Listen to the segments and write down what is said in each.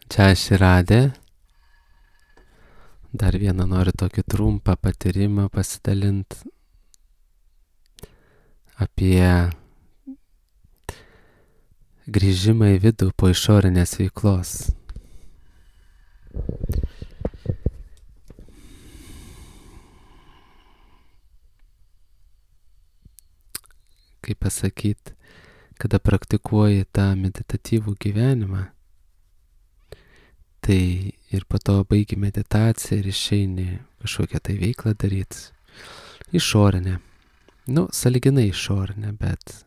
Čia aš įradė. Dar vieną noriu tokį trumpą patyrimą pasidalinti apie grįžimą į vidų po išorinės veiklos. Kaip pasakyti, kada praktikuoji tą meditatyvų gyvenimą, tai ir po to baigi meditaciją ir išeini kažkokią tai veiklą daryti. Išorinę. Sąlyginai išorinę, bet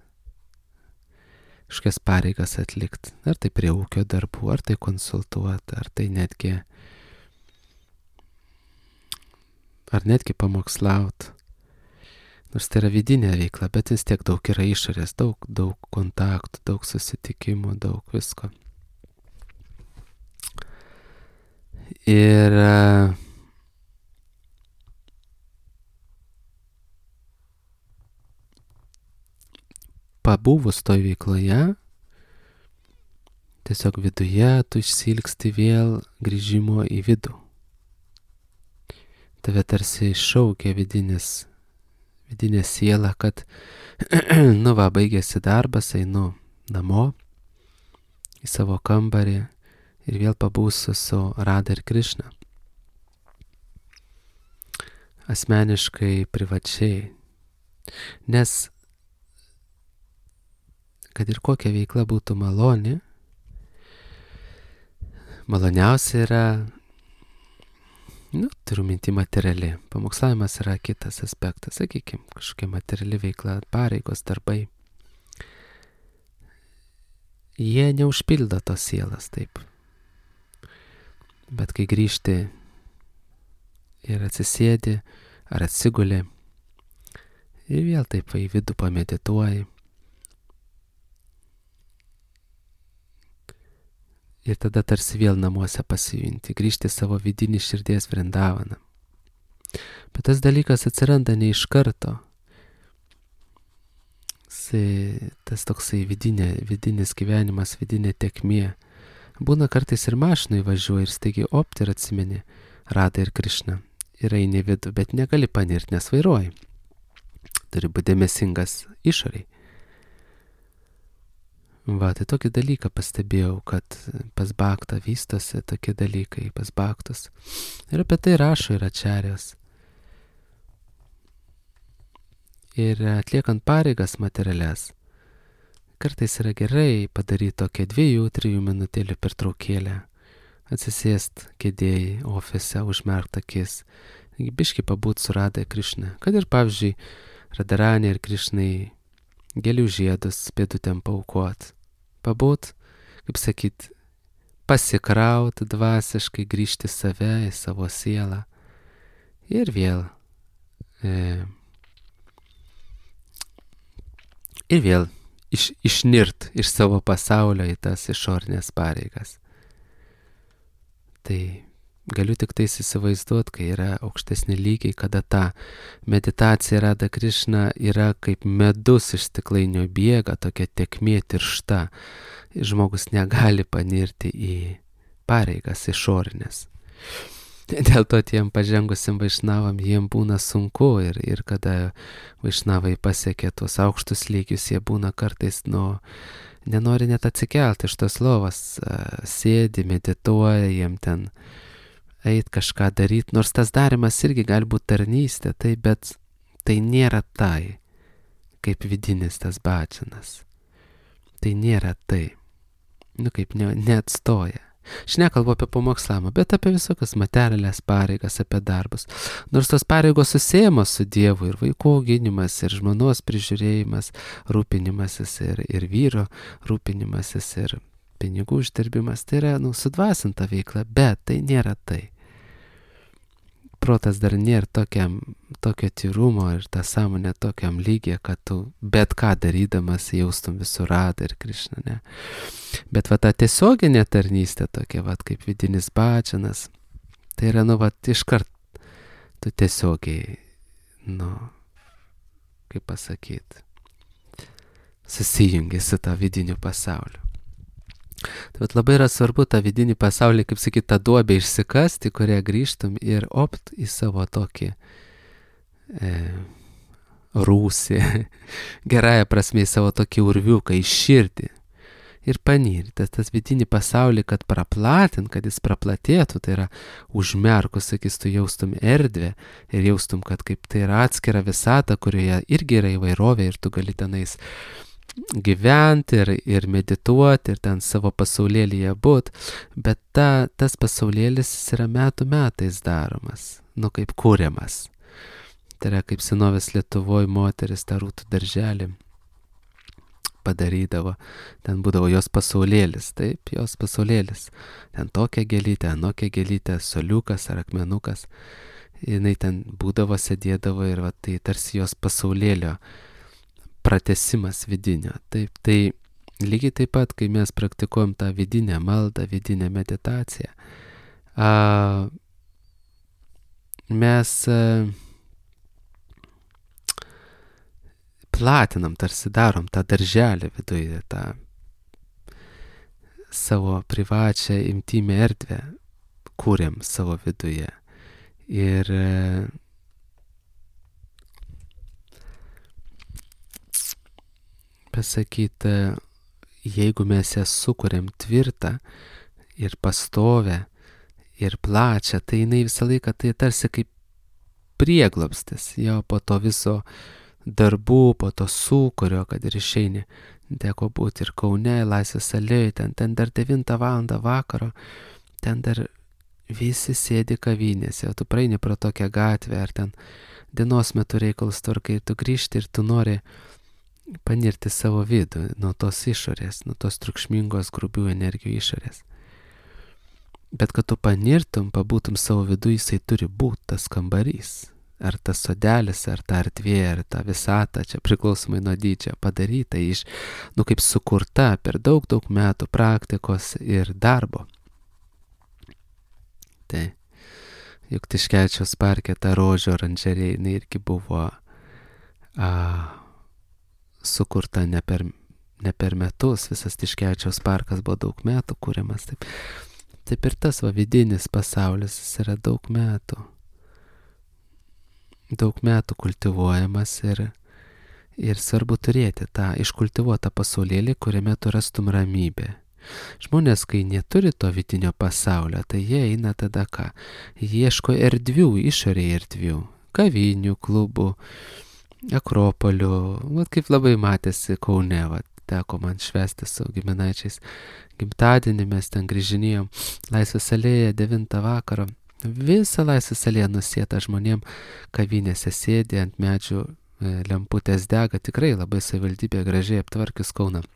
kažkokias pareigas atlikti. Ar tai prie ūkio darbų, ar tai konsultuoti, ar tai netgi pamokslauti. Nors tai yra vidinė veikla, bet vis tiek daug yra išorės, daug kontaktų, daug susitikimų, daug visko. Ir pabuvus toj veikloje, tiesiog viduje tu išsilgsti vėl grįžimo į vidų. Tave tarsi šaukia vidinė siela, kad baigėsi darbas, einu namo į savo kambarį ir vėl pabūsiu su Radha ir Krišna. Asmeniškai, privačiai. Nes kad ir kokia veikla būtų maloniausia yra, turiu minti materiali. Pamokslavimas yra kitas aspektas, sakykime, kažkokia materiali veikla, pareigos, darbai. Jie neužpildo tos sielas taip. Bet kai grįžti ir atsisėdi ar atsiguli ir vėl taip į vidų pamedituoji. Ir tada tarsi vėl namuose pasijunti, grįžti savo vidinį širdies vrindavaną. Bet tas dalykas atsiranda ne iš karto. Tas toksai vidinis gyvenimas, vidinė tekmė. Būna kartais ir mašinai važiuoji ir staigiai ir atsimeni Radha ir Krišna. Ir eini vidų, bet negali panirti, nes vairuoji. Turi būti dėmesingas išoriai. Tai tokį dalyką pastebėjau, kad pas Bhaktą vystosi tokie dalykai, pas Bhaktus. Ir apie tai rašo ir Ačarjos. Ir atliekant pareigas materialias, kartais yra gerai padaryti tokią 2-3 minutėlių pertraukėlę, atsisėst kėdėjai, ofise, užmerkt akis, biškį pabūt su Radha ir Krišna. Kad ir, pavyzdžiui, Radharani ir Krišnai gėlių žiedus pėdutėm paaukot. Pabūt, kaip sakyt, pasikraut dvasiškai, grįžti save, į savo sielą. Ir vėl išnirt iš savo pasaulio į tas išorinės pareigas. Tai galiu tik tais įsivaizduoti, kai yra aukštesni lygiai, kada ta meditacija Radha Krišna yra kaip medus iš stiklainio bėga, tokia tekmė tiršta. Žmogus negali panirti į pareigas išorinės. Dėl to tiem pažengusim vaišnavam jiem būna sunku ir kada vaišnavai pasiekia tuos aukštus lygius, jie būna kartais nenori net atsikelti iš tos lovas, sėdi, medituoja, jiem ten eit kažką daryti, nors tas darimas irgi gali būti tarnystė, bet tai nėra tai, kaip vidinis tas bhajanas. Tai nėra tai. Kaip neatstoja. Aš nekalbu apie pamokslavimą, bet apie visokias materialias pareigas, apie darbus. Nors tos pareigos susiejamos su Dievu, ir vaikų auginimas, ir žmonos prižiūrėjimas, rūpinimasis, ir vyro rūpinimasis, ir pinigų uždirbimas, tai yra sudvasinta veikla, bet tai nėra tai. Protas dar nėra tokio tyrumo ir ta sąmonė tokiam lygiai, kad tu bet ką darydamas jaustum visur Radha ir Krišna, ne. Bet ta tiesioginė tarnystė tokia, kaip vidinis bhajanas, tai yra, iškart tu tiesiogiai, kaip pasakyti, susijungi su tą vidiniu pasauliu. Tai vat labai yra svarbu tą vidinį pasaulį, kaip sakyt, tą duobę išsikasti, kurią grįžtum ir opt į savo tokį rūsį, gerąją prasme į savo tokį urviuką, į širdį. Ir panirti tas vidinį pasaulį, kad praplatint, kad jis praplatėtų, tai yra užmerkus, sakys, tu jaustum erdvę ir jaustum, kad kaip tai yra atskira visata, kurioje irgi yra įvairovė ir tu gali tenais gyventi ir medituoti ir ten savo pasaulėlyje būt, bet tas pasaulėlis yra metų metais daromas, kaip kūriamas. Tai yra kaip senovės Lietuvoje moteris tą rūtų darželį padarydavo, ten būdavo jos pasaulėlis, taip, jos pasaulėlis, ten tokia gėlytė, anokia gėlytė, soliukas ar akmenukas, jinai ten būdavo, sėdėdavo ir va, tai tarsi jos pasaulėlio pratesimas vidinio. Taip, tai lygiai taip pat, kai mes praktikuojam tą vidinę maldą, vidinę meditaciją, mes platinam, tarsi darom tą darželį viduje, tą savo privačią intymę erdvę, kūrėm savo viduje. Ir pasakyti, jeigu mes ją sukūrėm tvirtą ir pastovę ir plačią, tai jinai visą laiką tai tarsi kaip prieglobstis, jo po to viso darbų, po to sūkurio, kad ir išeini. Teko būti ir Kaune, Laisvės alėjoj, ten dar 9 valandą vakaro, ten dar visi sėdi kavinėse, o tu praeini pro tokią gatvę, ar ten dienos metu reikalus tvarkai, ir tu grįžti ir tu nori panirti savo vidų nuo tos išorės, nuo tos triukšmingos grubių energijų išorės. Bet kad tu panirtum, pabūtum savo vidų, jisai turi būti tas kambarys. Ar tas sodelis, ar ta erdvė, ar ta visata, čia priklausomai nuo dydžio, padaryta iš, kaip sukurta per daug metų praktikos ir darbo. Tai, juk Tiškevičiaus parke ta rožių oranžerija, jinai irgi buvo sukurta ne per metus, visas Tiškevičiaus parkas buvo daug metų kūriamas. Taip ir tas vidinis pasaulis, jis yra daug metų kultivuojamas ir svarbu turėti tą iškultivuotą pasaulėlį, kuriame tu rastum ramybę. Žmonės, kai neturi to vidinio pasaulio, tai jie eina tada ką? Ieško erdvių, išorėje erdvių, kavinių, klubų, akropolių, kaip labai matėsi Kaune, teko man švęsti su giminaičiais gimtadienį, mes ten grįžinėjom Laisvės alėją 9 vakaro. Visa Laisvės alėja nusėta žmonėm, kavinėse sėdi, ant medžių lemputės dega, tikrai labai savivaldybė gražiai aptvarkius Kauną.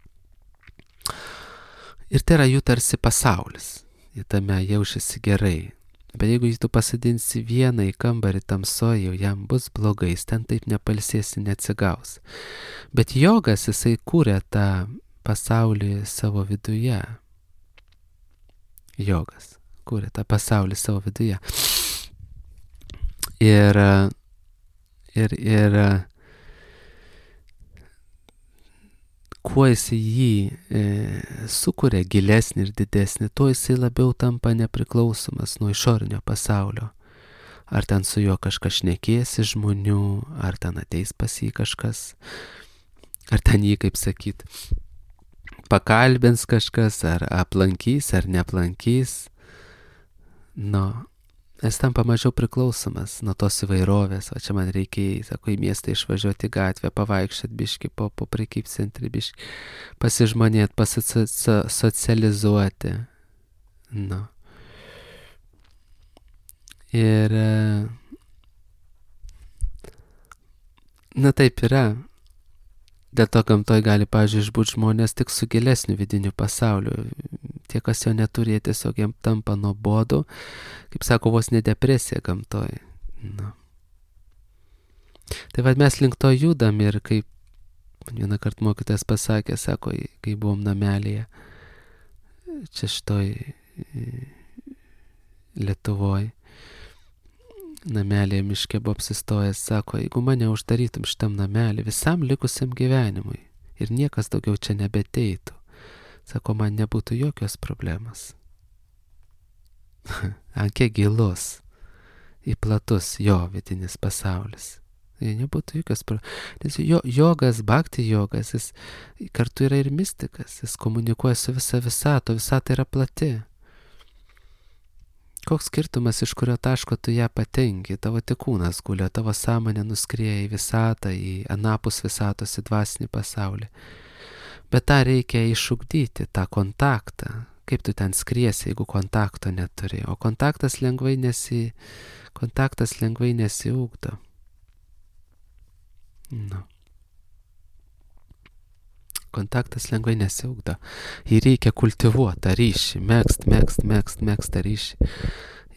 Ir tai yra jų tarsi pasaulis, jie tame jaučiasi gerai. Bet jeigu tu pasadinsi vieną į kambarį tamsoje, jau jam bus blogai, jis ten taip nepalsėsi, neatsigaus. Bet jogas, jisai kūrė tą pasaulį savo viduje. Jogas kūrė tą pasaulį savo viduje. Ir kuo jisai jį sukuria gilesnį ir didesnį, tuo jisai labiau tampa nepriklausomas nuo išorinio pasaulio. Ar ten su juo kažkas šnekėsi žmonių, ar ten ateis pas jį kažkas, ar ten jį, kaip sakyt, pakalbins kažkas, ar aplankys, ar neaplankys. Jis tampa mažiau priklausomas nuo tos įvairovės. O čia man reikia, sako, į miestą išvažiuoti gatvę, pavaikščioti biškį, po prekybcentrį biškį, pasižmonėti, pasisocializuoti. Ir taip yra. Dėl to gamtoj gali, pavyzdžiui, išbūti žmonės tik su gilesniu vidiniu pasauliu. Tie, kas jo neturi, tiesiog jam tampa nuobodu, kaip sako, vos ne depresija gamtoj. Tai mes link to judam ir kaip vieną kartą mokytojas pasakė, sako, kai buvom namelėje, čia šitoj Lietuvoj, namelėje miške buvo apsistojęs, sako, jeigu mane uždarytum šitam namelį visam likusiam gyvenimui ir niekas daugiau čia nebeteitų, Sako, man nebūtų jokios problemos. Ant kiek gilus, į platus jo vidinis pasaulis. Nebūtų jokios problemos. Nes jogas, bhakti jogas, jis kartu yra ir mistikas. Jis komunikuoja su visa visata, visata yra plati. Koks skirtumas, iš kurio taško tu ją patenki, tavo tik kūnas gulė, tavo sąmonė nuskrieja į visatą, į anapus visatos, į dvasinį pasaulį. Bet tą reikia išugdyti, tą kontaktą. Kaip tu ten skriesi, jeigu kontakto neturi? O kontaktas lengvai nesiugdo. Nu. Kontaktas lengvai nesiugdo. Jį reikia kultivuoti tą ryšį, megzt tą ryšį.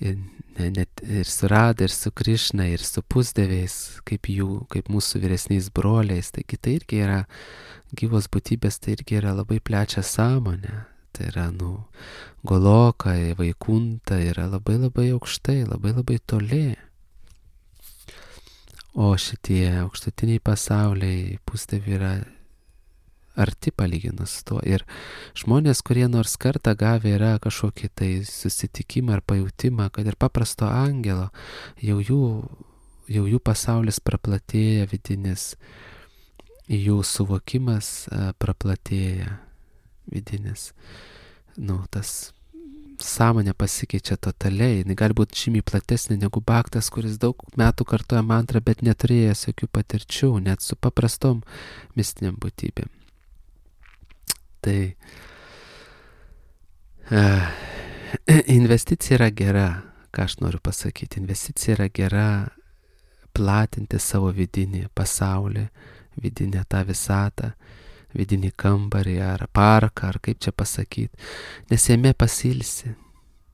Ir su Rada, ir su Krišna, ir su pusdieviais, kaip mūsų vyresniais broliais. Taigi tai irgi yra gyvos būtybės, tai irgi yra labai plečia sąmonė. Tai yra, Goloka, Vaikunta yra labai labai aukštai, labai labai toli. O šitie aukštutiniai pasauliai, pusdieviai yra arti palyginus to. Ir žmonės, kurie nors kartą gavę yra kažkokį tai susitikimą ar pajautimą, kad ir paprasto angelo, jau jų pasaulis praplatėja vidinis, jų suvokimas praplatėja vidinis. Tas sąmonė pasikeičia totaliai, jinai gali būti žymiai platesnė negu bhaktas, kuris daug metų kartoja mantrą, bet neturėjęs jokių patirčių, net su paprastom mistiniam būtybėm. Tai investicija yra gera, ką aš noriu pasakyti. Investicija yra gera platinti savo vidinį pasaulį, vidinę tą visatą, vidinį kambarį ar parką, ar kaip čia pasakyti. Nes jame pasilsi,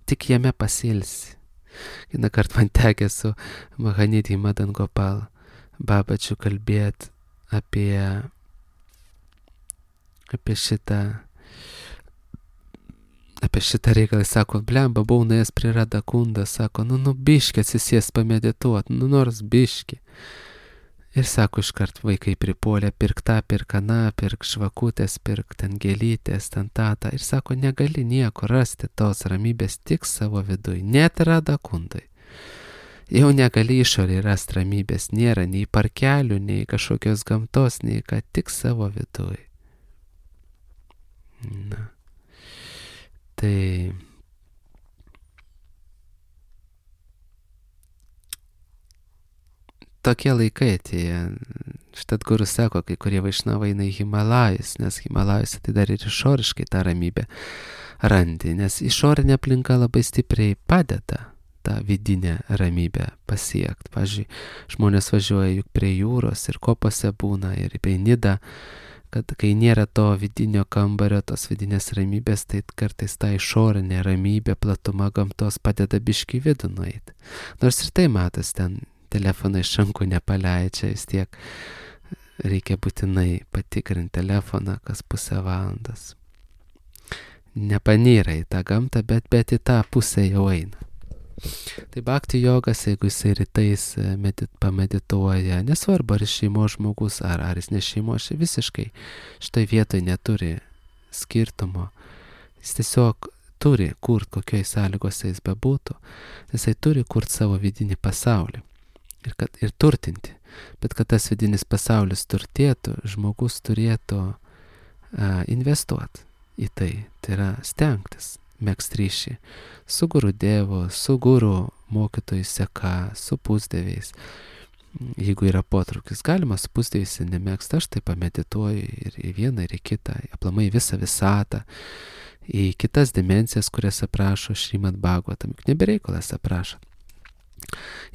tik jame pasilsi. Vieną kartą man tekė su Mahanidhi Madan Gopal Babačiu kalbėti apie šitą reikalą. Sako, blemba, buvau nuėjęs prie Radha Kundą, sako, biškį atsisės pamedituot, nors biškį. Ir sako, iškart vaikai pripuolė, pirk tą, pirk aną, pirk žvakutės, pirk ten gėlytės, ten tą. Ir sako, negali nieko rasti tos ramybės tik savo viduj, net Radha Kundai. Jau negali išorėje rasti ramybės, nėra nei parkelių, nei kažkokios gamtos, nei ką, tik savo viduj. Tai tokie laikai atėjo. Štat guru sako, kai kurie vaišnavai eina į Himalajus, nes Himalajus tai dar ir išoriškai tą ramybę randi, nes išorinė aplinka labai stipriai padeda tą vidinę ramybę pasiekti. Pavyzdžiui, žmonės važiuoja juk prie jūros ir kopose būna, ir į Nidą, kad kai nėra to vidinio kambario, tos vidinės ramybės, tai kartais ta išorinė ramybė, platuma gamtos padeda biškį vidų nueiti. Nors ir tai matas, ten telefoną iš rankų nepaleidžia, vis tiek reikia būtinai patikrinti telefoną kas pusę valandos. Nepanyra į tą gamtą, bet į tą pusę jau eina. Tai bhakti jogas, jeigu jisai rytais pamedituoja, nesvarbu ar jis šeimos žmogus, ar jis ne šeimos, visiškai štai vietoj neturi skirtumo. Jis tiesiog turi kurt, kokioj sąlygose jis bebūtų, jisai turi kurt savo vidinį pasaulį. Ir turtinti. Bet kad tas vidinis pasaulis turtėtų, žmogus turėtų investuoti į tai. Tai yra stengtis, megzt ryšį su guru dievu, su guru mokytojų seka, su pusdieviais. Jeigu yra potraukis, galima su pusdieviais nemegzt. Aš tai pamedituoju ir į vieną, ir į kitą, aplamai visą visatą, į kitas dimensijas, kurias aprašo Šrimad Bhagavatam. Juk nebereikalas aprašo.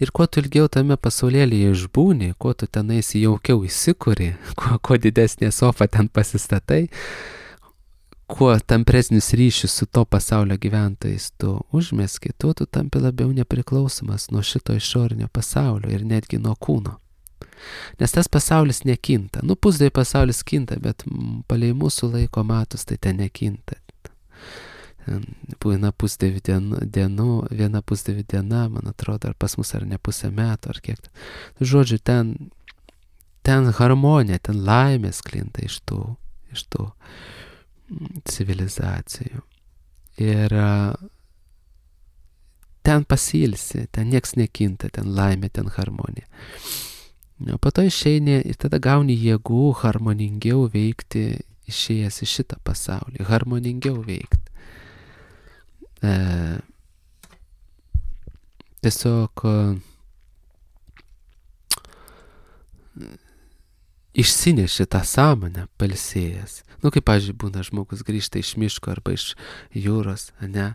Ir kuo tu ilgiau tame pasaulėlyje išbūni, kuo tu tenais jaukiau įsikuri, kuo didesnė sofa ten pasistatai, kuo tampresnis ryšius su to pasaulio gyventojais tu užmeski, tuo tu tampi labiau nepriklausomas nuo šito išorinio pasaulio ir netgi nuo kūno. Nes tas pasaulis nekinta. Pusdievių pasaulis kinta, bet palei mūsų laiko matus tai ten nekinta. Būna pusdievių dienų, viena pusdievių diena, man atrodo, ar pas mus ar ne pusę metų, ar kiek. Žodžiu, ten harmonija, ten laimės klinta iš tų civilizacijų. Ir ten pasilsi, ten nieks nekinta, ten laimė, ten harmonija. O po to išeini ir tada gauni jėgų harmoningiau veikti, išėjęs į šitą pasaulį, harmoningiau veikti. Tiesiog išsineši tą sąmonę pailsėjęs. Kaip, pavyzdžiui, būna žmogus grįžta iš miško arba iš jūros, ne,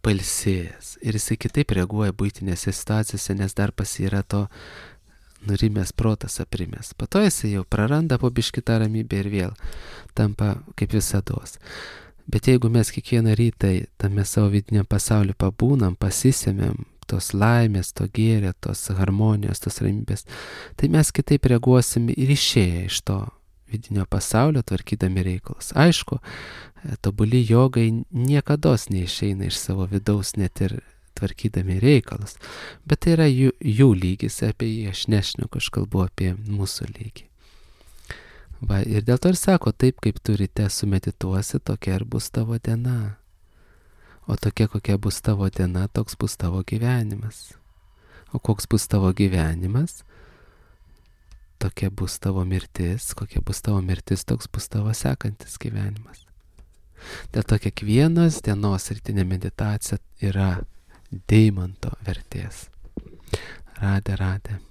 pailsėjęs. Ir jisai kitaip reaguoja buitinėse situacijose, nes dar pas jį yra to nurimęs protas aprimęs. Po to jisai jau praranda po biškį tą ramybę ir vėl tampa kaip visados. Bet jeigu mes kiekvieną rytą tame savo vidiniam pasauliu pabūnam, pasisėmėm tos laimės, to gėrio, tos harmonijos, tos ramybės, tai mes kitaip reaguosim ir išėję iš to vidinio pasaulio, tvarkydami reikalus. Aišku, tobuli jogai niekados neišeina iš savo vidaus, net ir tvarkydami reikalus. Bet tai yra jų lygis, apie jį aš nešneku, aš kalbu apie mūsų lygį. Va, ir dėl to ir sako, taip kaip tu ryte sumedituosi, tokia ir bus tavo diena. O tokia, kokia bus tavo diena, toks bus tavo gyvenimas. O koks bus tavo gyvenimas, tokia bus tavo mirtis. Kokia bus tavo mirtis, toks bus tavo sekantis gyvenimas. Dėl to kiekvienos dienos rytinė meditacija yra deimanto vertės. Radė.